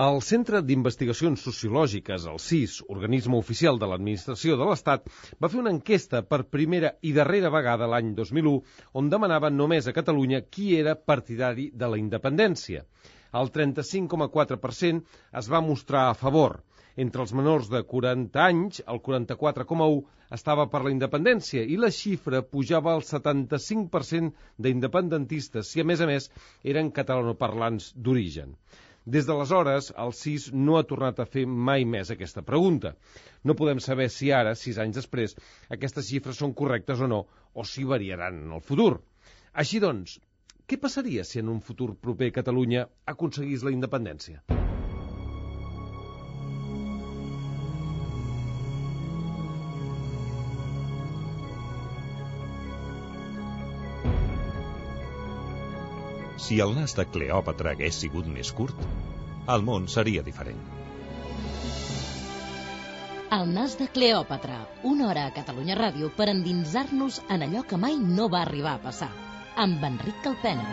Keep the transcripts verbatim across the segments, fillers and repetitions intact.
El Centre d'Investigacions Sociològiques, el C I S, organisme oficial de l'Administració de l'Estat, va fer una enquesta per primera i darrera vegada l'any dos mil u, on demanava només a Catalunya qui era partidari de la independència. El trenta-cinc coma quatre per cent es va mostrar a favor. Entre els menors de quaranta anys, el quaranta-quatre coma u estava per la independència i la xifra pujava al setanta-cinc per cent d'independentistes, si a més a més eren catalanoparlants d'origen. Des d'aleshores, el C I S no ha tornat a fer mai més aquesta pregunta. No podem saber si ara, sis anys després, aquestes xifres són correctes o no, o si variaran en el futur. Així doncs, què passaria si en un futur proper Catalunya aconseguís la independència? Si el nas de Cleòpatra hagués sigut més curt, el món seria diferent. El nas de Cleòpatra, una hora a Catalunya Ràdio per endinsar-nos en allò que mai no va arribar a passar, amb Enric Calpena.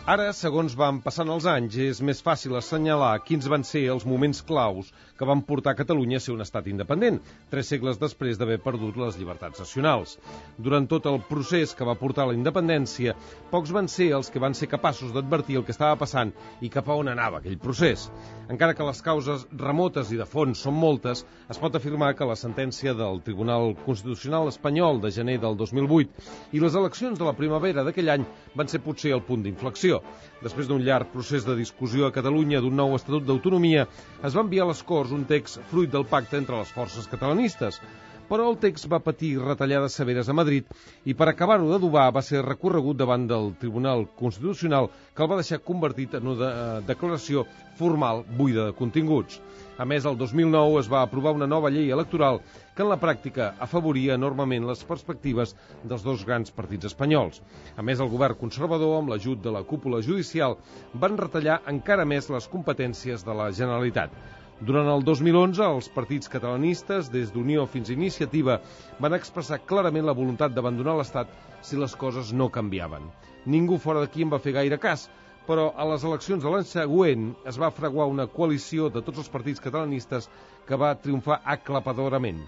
Ara, segons van passant els anys, és més fàcil assenyalar quins van ser els moments claus que van portar Catalunya a ser un estat independent, tres segles després d'haver perdut les llibertats nacionals. Durant tot el procés que va portar a la independència, pocs van ser els que van ser capaços d'advertir el que estava passant i cap a on anava aquell procés. Encara que les causes remotes i de fons són moltes, es pot afirmar que la sentència del Tribunal Constitucional espanyol de gener del dos mil vuit i les eleccions de la primavera d'aquell any van ser potser el punt d'inflexió. Després d'un llarg procés de discussió a Catalunya d'un nou Estatut d'Autonomia, es va enviar a les Corts un text fruit del pacte entre les forces catalanistes. Però el text va patir retallades severes a Madrid i per acabar-ho d'adobar va ser recorregut davant del Tribunal Constitucional, que el va deixar convertit en una declaració formal buida de continguts. A més, el dos mil nou es va aprovar una nova llei electoral que en la pràctica afavoria enormement les perspectives dels dos grans partits espanyols. A més, el govern conservador, amb l'ajut de la cúpula judicial, van retallar encara més les competències de la Generalitat. Durant el dos mil onze, els partits catalanistes, des d'Unió fins a Iniciativa, van expressar clarament la voluntat d'abandonar l'Estat si les coses no canviaven. Ningú fora d'aquí en va fer gaire cas, però a les eleccions de l'any següent es va fraguar una coalició de tots els partits catalanistes que va triomfar aclapadorament.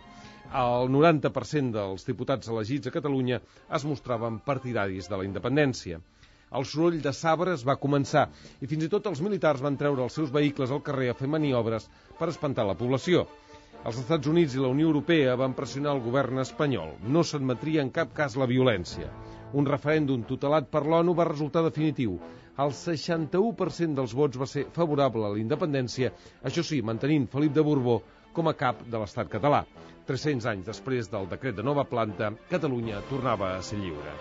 El noranta per cent dels diputats elegits a Catalunya es mostraven partidaris de la independència. El soroll de sabres va començar i fins i tot els militars van treure els seus vehicles al carrer a fer maniobres per espantar la població. Els Estats Units i la Unió Europea van pressionar el govern espanyol. No s'admetria en cap cas la violència. Un referèndum tutelat per l'ONU va resultar definitiu. El seixanta-u per cent dels vots va ser favorable a la independència, això sí, mantenint Felip de Borbó com a cap de l'estat català. tres-cents anys després del decret de nova planta, Catalunya tornava a ser lliure.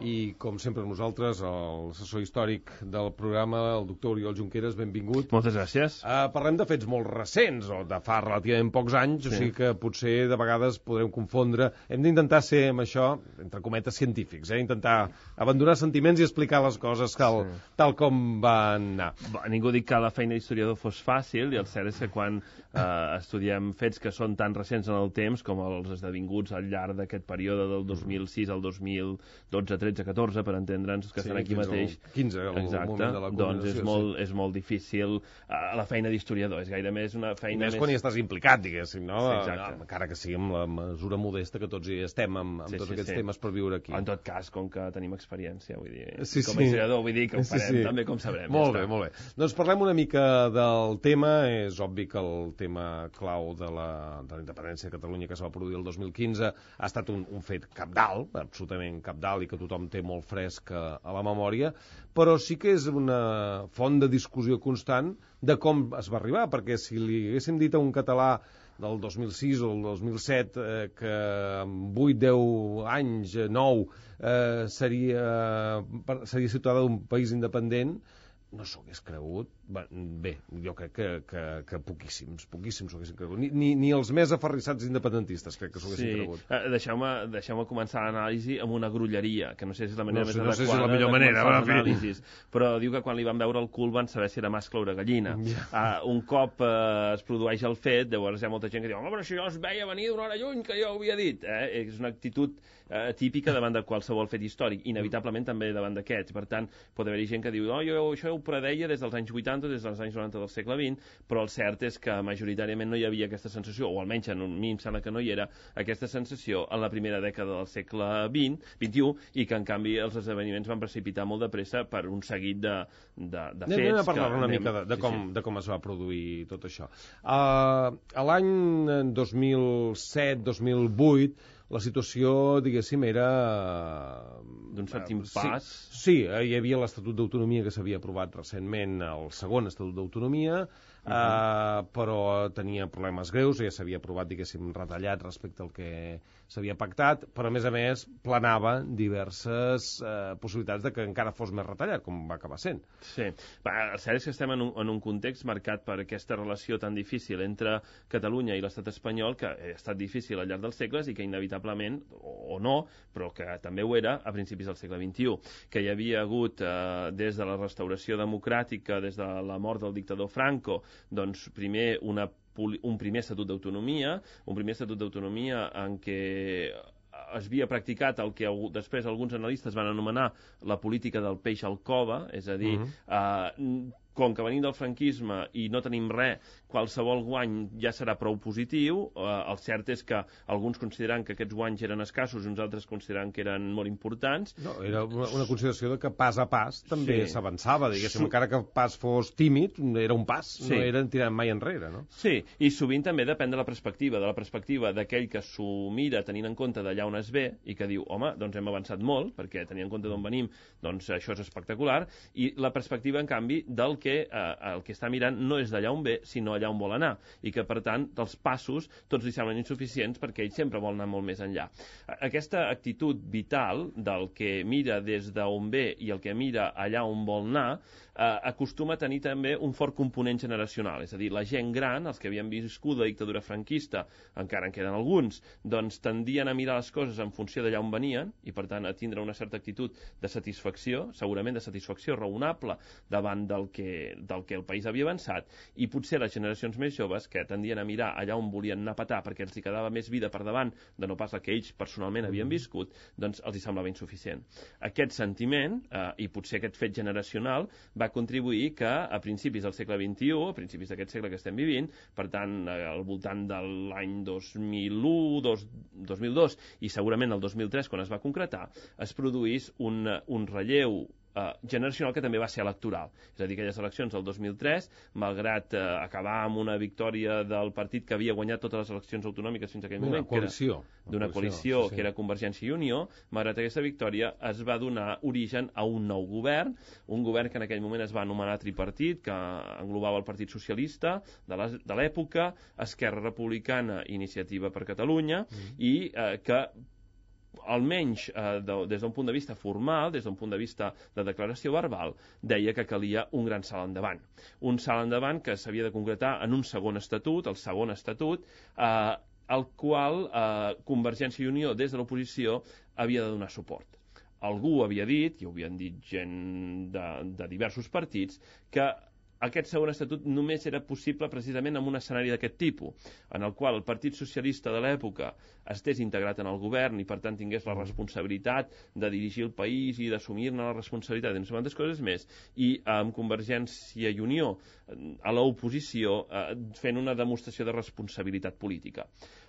I, com sempre, nosaltres, l'assessor històric del programa, el doctor Oriol Junqueras, benvingut. Moltes gràcies. Uh, parlem de fets molt recents, o de fa relativament pocs anys, sí. O sigui que potser de vegades podrem confondre. Hem d'intentar ser, amb això, entre cometes, científics, eh? Intentar abandonar sentiments i explicar les coses tal, sí. tal com van anar. Bo, ningú dic que la feina d'historiador fos fàcil, i el cert és que quan eh, estudiem fets que són tan recents en el temps, com els esdevinguts al llarg d'aquest període del dos mil sis al dos mil dotze, tretze, catorze, per entendre'ns, que sí, estan aquí mateix. quinze, el Exacte. moment de la doncs és molt, sí. és molt difícil uh, la feina d'historiador, és gaire més una feina més... més... quan hi estàs implicat, diguéssim, no? Sí, no? Encara que sigui amb la mesura modesta que tots hi estem amb, amb sí, tots sí, aquests sí. temes per viure aquí. En tot cas, com que tenim experiència, vull dir, sí, com a sí. historiador, vull dir que ho farem sí, sí. també com sabrem. Molt ja bé, està. molt bé. Doncs parlem una mica del tema. És obvi que el tema clau de la, de la independència de Catalunya que es va produir el dos mil quinze ha estat un, un fet cabdal, absolutament cabdal, i que tothom té molt fresc a la memòria, però sí que és una font de discussió constant de com es va arribar, perquè si li haguéssim dit a un català del dos mil sis o el dos mil set eh, que en vuit deu anys, nou, eh, seria, seria ciutadà d'un país independent, no s'ho hagués cregut. Bé, jo crec que, que, que poquíssims, poquíssims s'ho haguessin cregut. Ni, ni, ni els més aferrissats independentistes crec que s'ho haguessin sí. cregut. Uh, Deixeu-me deixeu començar l'anàlisi amb una grulleria, que no sé si és la manera no més sé, adequada no sé si és la millor de manera, començar va, l'anàlisi. Però diu que quan li van veure el cul van saber si era mascle o era gallina. Yeah. Uh, un cop uh, es produeix el fet, llavors hi ha molta gent que diu home, però això jo es veia venir d'una hora lluny, que jo ho havia dit. Eh? És una actitud uh, típica davant de qualsevol fet històric, inevitablement també davant d'aquests. Per tant, pot haver-hi gent que diu oh, jo això ho predeia des dels anys vuitanta, des dels anys noranta del segle vint, però el cert és que majoritàriament no hi havia aquesta sensació, o almenys en un mi em sembla que no hi era aquesta sensació en la primera dècada del segle vint, vint-i-u, i que en canvi els esdeveniments van precipitar molt de pressa per un seguit de, de, de fets. Anem a parlar que una anem... mica de, de, sí, com, sí. de com es va produir tot això. Uh, a l'any dos mil set dos mil vuit la situació, diguéssim, era... d'un cert impàs. Sí, sí, hi havia l'Estatut d'Autonomia que s'havia aprovat recentment, el segon Estatut d'Autonomia, uh -huh. uh, però tenia problemes greus, ja s'havia aprovat, diguéssim, retallat respecte al que s'havia pactat, però a més a més planava diverses uh, possibilitats de que encara fos més retallat, com va acabar sent. Sí, va, el cert és que estem en un, en un context marcat per aquesta relació tan difícil entre Catalunya i l'estat espanyol, que ha estat difícil al llarg dels segles i que inevitablement, o, o no, però que també ho era a principis del segle vint-i-u, que hi havia hagut eh, des de la restauració democràtica, des de la mort del dictador Franco, doncs primer una, un primer estatut d'autonomia, un primer estatut d'autonomia en què es havia practicat el que després alguns analistes van anomenar la política del peix al cova, és a dir, uh -huh. eh, com que venim del franquisme i no tenim res, qualsevol guany ja serà prou positiu. Eh, el cert és que alguns consideren que aquests guanys eren escassos i uns altres consideren que eren molt importants. No, era una, una consideració de que pas a pas també sí. s'avançava, diguéssim, Su... encara que el pas fos tímid, era un pas, sí. no eren tirant mai enrere, no? Sí, i sovint també depèn de la perspectiva, de la perspectiva d'aquell que s'ho mira tenint en compte d'allà on es ve i que diu, home, doncs hem avançat molt, perquè tenint en compte d'on venim, doncs això és espectacular, i la perspectiva, en canvi, del que eh, el que està mirant no és d'allà on ve, sinó allà on vol anar, i que, per tant, els passos tots li semblen insuficients perquè ell sempre vol anar molt més enllà. Aquesta actitud vital del que mira des d'on ve i el que mira allà on vol anar eh, acostuma a tenir també un fort component generacional, és a dir, la gent gran, els que havien viscut la dictadura franquista, encara en queden alguns, doncs tendien a mirar les coses en funció d'allà on venien i, per tant, a tindre una certa actitud de satisfacció, segurament de satisfacció raonable davant del que, del que el país havia avançat, i potser les generacions més joves, que tendien a mirar allà on volien anar a petar perquè els hi quedava més vida per davant de no pas la que ells personalment havien viscut, doncs els hi semblava insuficient. Aquest sentiment, eh, i potser aquest fet generacional, va contribuir que a principis del segle vint-i-u, a principis d'aquest segle que estem vivint, per tant, al voltant de l'any dos mil u, dos mil dos i segurament el dos mil tres, quan es va concretar, es produís un, un relleu Uh, generacional que també va ser electoral. És a dir, aquelles eleccions del dos mil tres, malgrat uh, acabar amb una victòria del partit que havia guanyat totes les eleccions autonòmiques fins a aquell moment, coalició, d'una coalició, coalició sí, sí. que era Convergència i Unió, malgrat aquesta victòria es va donar origen a un nou govern, un govern que en aquell moment es va anomenar tripartit, que englobava el Partit Socialista de l'època, Esquerra Republicana, Iniciativa per Catalunya, mm. i uh, que almenys eh, de, des d'un punt de vista formal, des d'un punt de vista de declaració verbal, deia que calia un gran salt endavant. Un salt endavant que s'havia de concretar en un segon estatut, el segon estatut, eh, al qual eh, Convergència i Unió, des de l'oposició, havia de donar suport. Algú havia dit, i ho havien dit gent de, de diversos partits, que aquest segon estatut només era possible precisament en un escenari d'aquest tipus, en el qual el Partit Socialista de l'època estés integrat en el govern i per tant tingués la responsabilitat de dirigir el país i d'assumir-ne la responsabilitat i no sé quantes coses més, i amb Convergència i Unió a l'oposició eh, fent una demostració de responsabilitat política.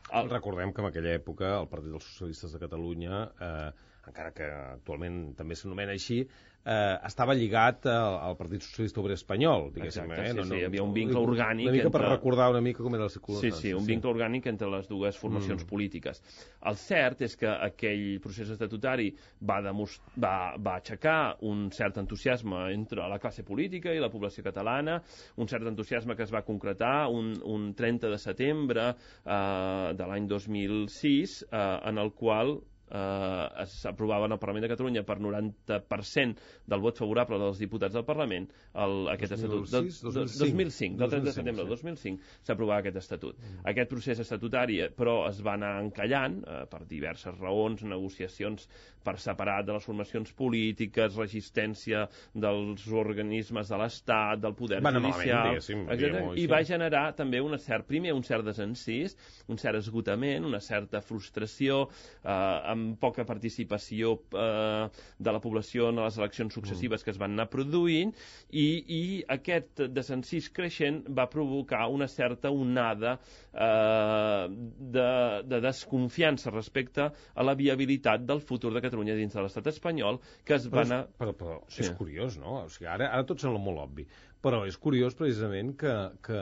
El... Recordem que en aquella època el Partit dels Socialistes de Catalunya, eh, encara que actualment també s'anomena així, eh, estava lligat al, al Partit Socialista Obrer Espanyol, diguéssim. Exacte, eh? sí, no, sí, no, hi havia un vincle orgànic... Una mica entre... per recordar una mica com era la circunstància. Sí, sí, un vincle sí. orgànic entre les dues formacions mm. polítiques. El cert és que aquell procés estatutari va, va, va aixecar un cert entusiasme entre la classe política i la població catalana, un cert entusiasme que es va concretar un, un trenta de setembre eh, de l'any dos mil sis, eh, en el qual eh, s'aprovava en el Parlament de Catalunya per noranta per cent del vot favorable dels diputats del Parlament, el, aquest estatut. dos mil cinc, del trenta de setembre del dos mil cinc, s'aprovava aquest estatut. Mm. Aquest procés estatutari, però, es va anar encallant eh, per diverses raons, negociacions per separat de les formacions polítiques, resistència dels organismes de l'Estat, del poder Van judicial, etcètera. I va generar també un cert, primer, un cert desencís, un cert esgotament, una certa frustració, eh, amb poca participació eh, de la població en les eleccions successives mm. que es van anar produint, i, i aquest desencís creixent va provocar una certa onada eh, de, de desconfiança respecte a la viabilitat del futur de Catalunya dins de l'estat espanyol, que es va anar... Però, però sí. És curiós, no? O sigui, ara, ara tot sembla molt obvi, però és curiós precisament que, que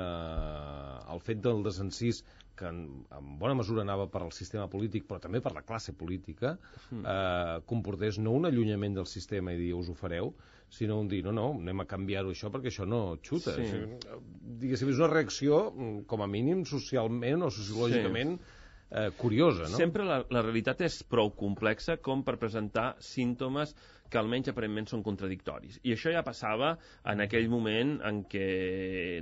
el fet del desencís, que en, en bona mesura anava per al sistema polític, però també per la classe política, mm. eh, comportés no un allunyament del sistema i dir, us ho fareu, sinó un dir, no, no, anem a canviar-ho això perquè això no xuta. Sí. O sigui, diguéssim, és una reacció, com a mínim, socialment o sociològicament, sí. eh, curiosa, no? Sempre la, la realitat és prou complexa com per presentar símptomes que almenys aparentment són contradictoris. I això ja passava en aquell moment en què,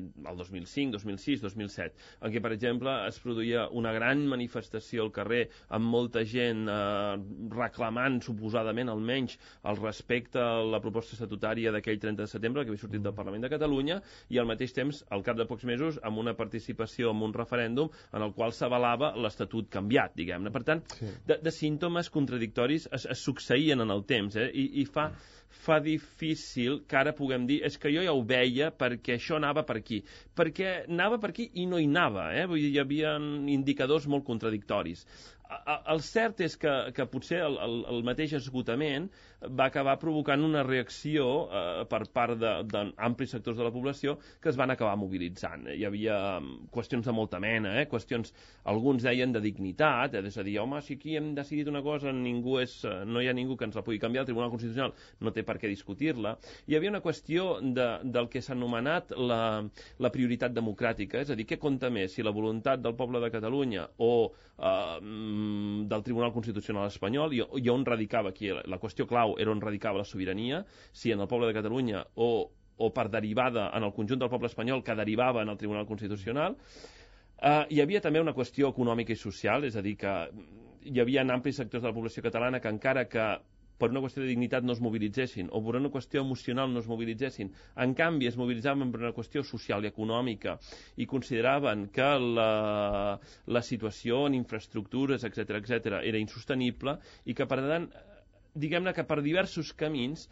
el dos mil cinc, dos mil sis, dos mil set, en què, per exemple, es produïa una gran manifestació al carrer amb molta gent eh, reclamant, suposadament, almenys, el respecte a la proposta estatutària d'aquell trenta de setembre, que havia sortit del Parlament de Catalunya, i al mateix temps, al cap de pocs mesos, amb una participació en un referèndum en el qual s'avalava l'Estatut canviat, diguem-ne. Per tant, sí. de, de símptomes contradictoris es, es succeïen en el temps, eh? I, i fa, fa difícil que ara puguem dir és que jo ja ho veia perquè això anava per aquí. Perquè anava per aquí i no hi anava, eh? Vull dir, hi havia indicadors molt contradictoris. El cert és que, que potser el, el, el mateix esgotament va acabar provocant una reacció eh, per part d'amplis sectors de la població que es van acabar mobilitzant. Hi havia qüestions de molta mena, eh? Qüestions, alguns deien de dignitat, eh? És a dir, home, si aquí hem decidit una cosa, ningú és, no hi ha ningú que ens la pugui canviar, el Tribunal Constitucional no té per què discutir-la. Hi havia una qüestió de, del que s'ha anomenat la, la prioritat democràtica, és a dir, què compta més, si la voluntat del poble de Catalunya o eh, del Tribunal Constitucional espanyol, i, i on radicava aquí, la, la qüestió clau era on radicava la sobirania, si en el poble de Catalunya o, o per derivada en el conjunt del poble espanyol que derivava en el Tribunal Constitucional. Uh, hi havia també una qüestió econòmica i social, és a dir, que hi havia amplis sectors de la població catalana que encara que per una qüestió de dignitat no es mobilitzessin, o per una qüestió emocional no es mobilitzessin. En canvi, es mobilitzaven per una qüestió social i econòmica i consideraven que la, la situació en infraestructures, etcètera, etcètera, era insostenible i que, per tant, diguem-ne que per diversos camins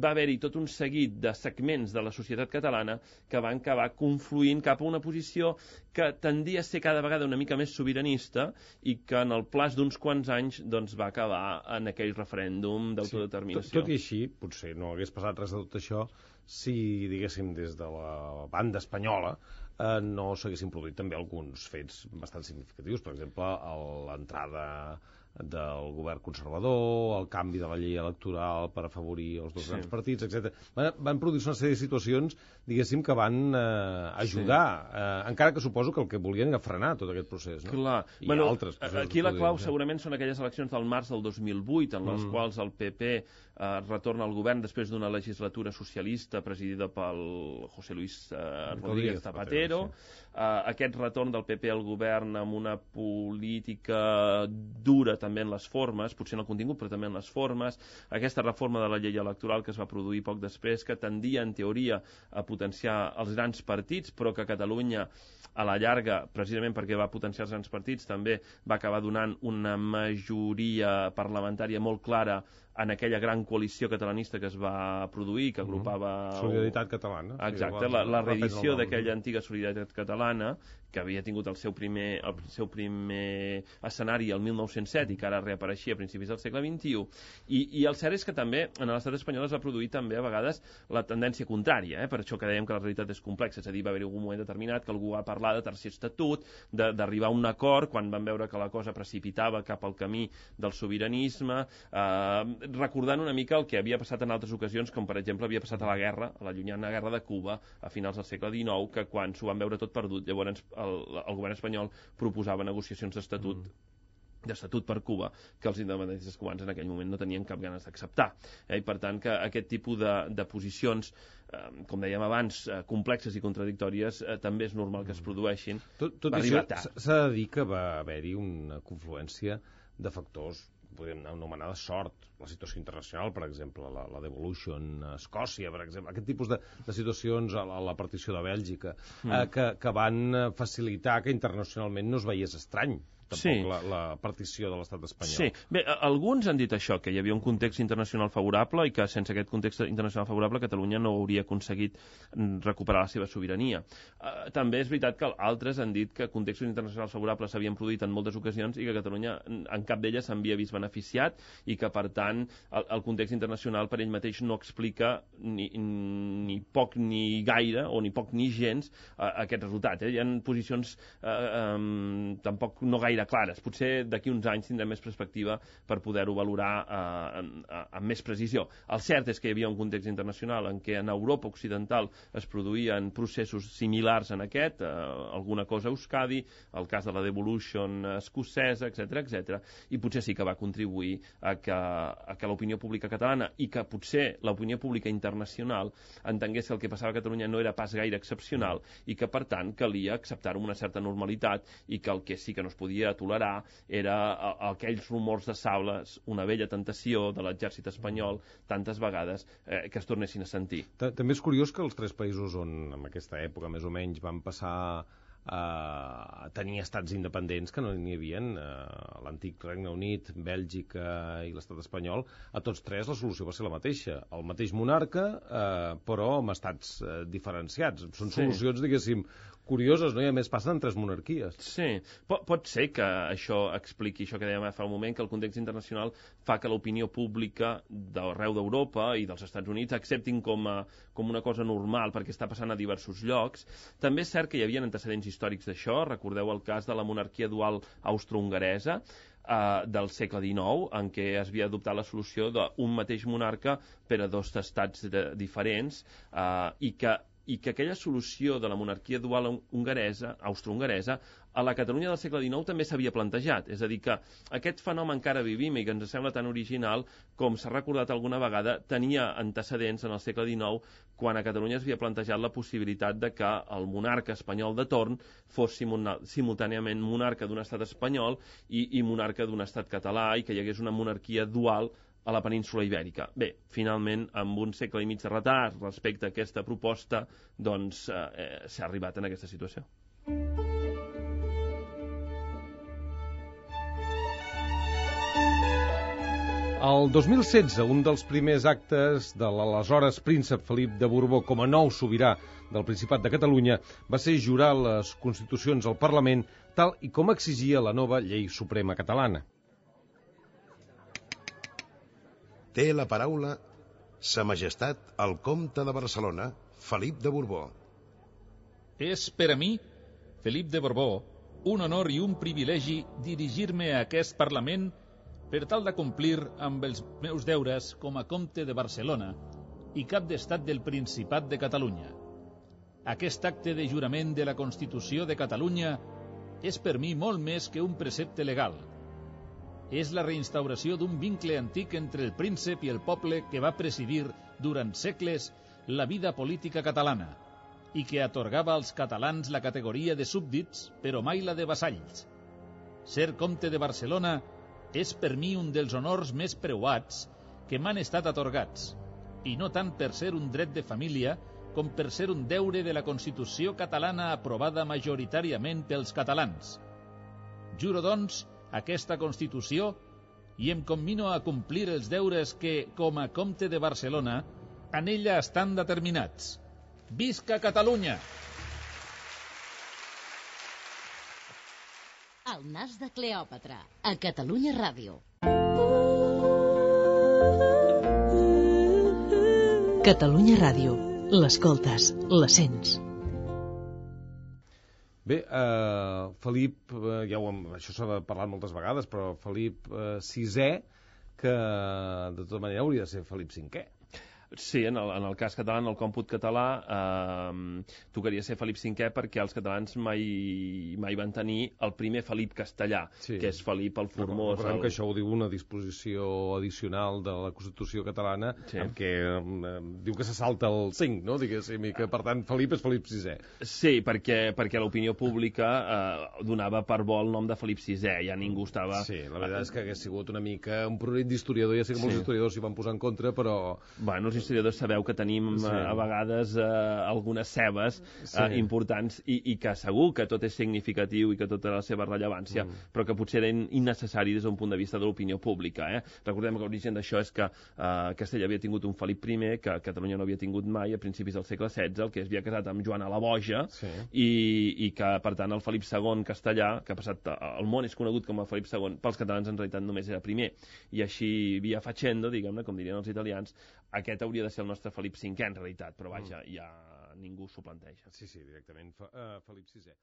va haver-hi tot un seguit de segments de la societat catalana que van acabar confluint cap a una posició que tendia a ser cada vegada una mica més sobiranista i que en el plaç d'uns quants anys doncs, va acabar en aquell referèndum d'autodeterminació. Sí, tot, tot i així, potser no hagués passat res de tot això si, diguéssim, des de la banda espanyola eh, no s'haguessin produït també alguns fets bastant significatius. Per exemple, l'entrada del govern conservador, el canvi de la llei electoral per afavorir els dos sí. grans partits, etcètera. Van, van produir una sèrie de situacions, diguéssim, que van eh, ajudar, sí. eh, encara que suposo que el que volien era frenar tot aquest procés. No? Clar. I bueno, altres aquí la clau segurament són aquelles eleccions del març del dos mil vuit, en les mm. quals el P P eh, retorna al govern després d'una legislatura socialista presidida pel José Luis eh, Rodríguez Zapatero. Sí. Eh, aquest retorn del P P al govern amb una política dura també en les formes, potser en el contingut, però també en les formes. Aquesta reforma de la llei electoral que es va produir poc després, que tendia, en teoria, a potenciar els grans partits, però que Catalunya, a la llarga, precisament perquè va potenciar els grans partits, també va acabar donant una majoria parlamentària molt clara en aquella gran coalició catalanista que es va produir, que agrupava... Solidaritat Catalana. Exacte, sí, la, la reedició d'aquella antiga Solidaritat Catalana, que havia tingut el seu primer, el seu primer escenari el mil nou-cents set i que ara reapareixia a principis del segle vint-i-u. I, i el cert és que també en l'estat espanyol es va produir també a vegades la tendència contrària, eh? Per això que dèiem que la realitat és complexa, és a dir, va haver-hi algun moment determinat que algú va parlar de tercer estatut, d'arribar a un acord quan van veure que la cosa precipitava cap al camí del sobiranisme, eh, recordant una mica el que havia passat en altres ocasions, com per exemple havia passat a la guerra, a la llunyana guerra de Cuba, a finals del segle dinou, que quan s'ho van veure tot perdut, llavors el, el govern espanyol proposava negociacions d'estatut mm. d'estatut per Cuba, que els independentistes cubans en aquell moment no tenien cap ganes d'acceptar. Eh? I per tant que aquest tipus de, de posicions, eh, com dèiem abans, eh, complexes i contradictòries, eh, també és normal que es produeixin. Tot, tot això s'ha de dir que va haver-hi una confluència de factors, podem anomenar de sort, la situació internacional, per exemple, la, la devolution a Escòcia, per exemple, aquest tipus de, de situacions, a la, a la partició de Bèlgica, mm. eh, que, que van facilitar que internacionalment no es veiés estrany tampoc sí. la, la partició de l'estat espanyol. Sí. Bé, alguns han dit això, que hi havia un context internacional favorable i que sense aquest context internacional favorable Catalunya no hauria aconseguit recuperar la seva sobirania. Uh, també és veritat que altres han dit que contextos internacionals favorables s'havien produït en moltes ocasions i que Catalunya en cap d'elles s'havia vist beneficiat i que, per tant, el, el context internacional per ell mateix no explica ni, ni poc ni gaire, o ni poc ni gens, uh, aquest resultat. Eh? Hi ha posicions uh, um, tampoc no gaire clares. Potser d'aquí uns anys tindrem més perspectiva per poder-ho valorar eh, amb més precisió. El cert és que hi havia un context internacional en què en Europa occidental es produïen processos similars en aquest, eh, alguna cosa a Euskadi, el cas de la devolution escocesa, etcètera, etcètera, i potser sí que va contribuir a que, a que l'opinió pública catalana i que potser l'opinió pública internacional entengués que el que passava a Catalunya no era pas gaire excepcional i que, per tant, calia acceptar-ho amb una certa normalitat i que el que sí que no es podia tolerar era aquells rumors de sables, una vella tentació de l'exèrcit espanyol tantes vegades eh, que es tornessin a sentir. També és curiós que els tres països on en aquesta època més o menys van passar a tenir estats independents que no n'hi havia, l'antic Regne Unit, Bèlgica i l'estat espanyol, a tots tres la solució va ser la mateixa, el mateix monarca, eh, però amb estats eh, diferenciats. Són solucions, sí. diguéssim, curioses, no? I a més passen en tres monarquies. Sí, pot, pot ser que això expliqui això que dèiem fa un moment, que el context internacional fa que l'opinió pública d'arreu d'Europa i dels Estats Units acceptin com, a, com una cosa normal perquè està passant a diversos llocs. També és cert que hi havia antecedents històrics d'això. Recordeu el cas de la monarquia dual austro-hongaresa eh, del segle dinou, en què es havia adoptat la solució d'un mateix monarca per a dos estats de, diferents eh, i que i que aquella solució de la monarquia dual hongaresa, austro-hongaresa, a la Catalunya del segle dinou també s'havia plantejat. És a dir, que aquest fenomen que ara vivim i que ens sembla tan original, com s'ha recordat alguna vegada, tenia antecedents en el segle dinou, quan a Catalunya es havia plantejat la possibilitat de que el monarca espanyol de torn fos simultàniament monarca d'un estat espanyol i, i monarca d'un estat català, i que hi hagués una monarquia dual a la península Ibèrica. Bé, finalment, amb un segle i mig de retard respecte a aquesta proposta, doncs eh, s'ha arribat en aquesta situació. El dos mil setze, un dels primers actes de l'aleshores príncep Felip de Borbó com a nou sobirà del Principat de Catalunya va ser jurar les constitucions al Parlament tal i com exigia la nova llei suprema catalana. Té la paraula Sa Majestat el Comte de Barcelona, Felip de Borbó. És per a mi, Felip de Borbó, un honor i un privilegi dirigir-me a aquest Parlament per tal de complir amb els meus deures com a Comte de Barcelona i cap d'estat del Principat de Catalunya. Aquest acte de jurament de la Constitució de Catalunya és per mi molt més que un precepte legal. És la reinstauració d'un vincle antic entre el príncep i el poble que va presidir durant segles la vida política catalana i que atorgava als catalans la categoria de súbdits, però mai la de vassalls. Ser comte de Barcelona és per mi un dels honors més preuats que m'han estat atorgats, i no tant per ser un dret de família com per ser un deure de la Constitució catalana aprovada majoritàriament pels catalans. Juro, doncs, aquesta Constitució i em commino a complir els deures que, com a comte de Barcelona, en ella estan determinats. Visca Catalunya! El nas de Cleòpatra, a Catalunya Ràdio. Catalunya Ràdio. L'escoltes, la sents. Bé, eh, Felip, eh, ja ho hem, això s'ha parlat moltes vegades, però Felip eh, sisè, que de tota manera hauria de ser Felip cinquè. Sí, en el, en el cas català, en el còmput català, eh, tocaria ser Felip cinquè perquè els catalans mai, mai van tenir el primer Felip castellà, sí. que és Felip el Formós. Recordem el... que això ho diu una disposició addicional de la Constitució catalana, sí. en què eh, diu que se salta el cinc, no? Diguéssim, i que per tant Felip és Felip sisè. Sí, perquè, perquè l'opinió pública eh, donava per bo el nom de Felip sisè, ja ningú estava... Sí, la veritat és que hagués sigut una mica un progrés d'historiador, ja sé que molts sí. historiadors s'hi van posar en contra, però... Bueno, els historiadors sabeu que tenim sí. a, a vegades eh, algunes cebes sí. eh, importants i, i que segur que tot és significatiu i que tota la seva rellevància, mm. però que potser era innecessari des d'un punt de vista de l'opinió pública. Eh? Recordem que l'origen d'això és que eh, Castella havia tingut un Felip primer que Catalunya no havia tingut mai a principis del segle setze, el que es havia casat amb Joana la Boja, sí. i, i que, per tant, el Felip segon castellà, que ha passat, el món és conegut com a Felip segon, pels catalans en realitat només era primer, i així via facendo, diguem-ne, com dirien els italians, aquest hauria de ser el nostre Felip cinquè en realitat, però vaja, ja ningú s'ho planteja. Sí, sí, directament, Felip sisè.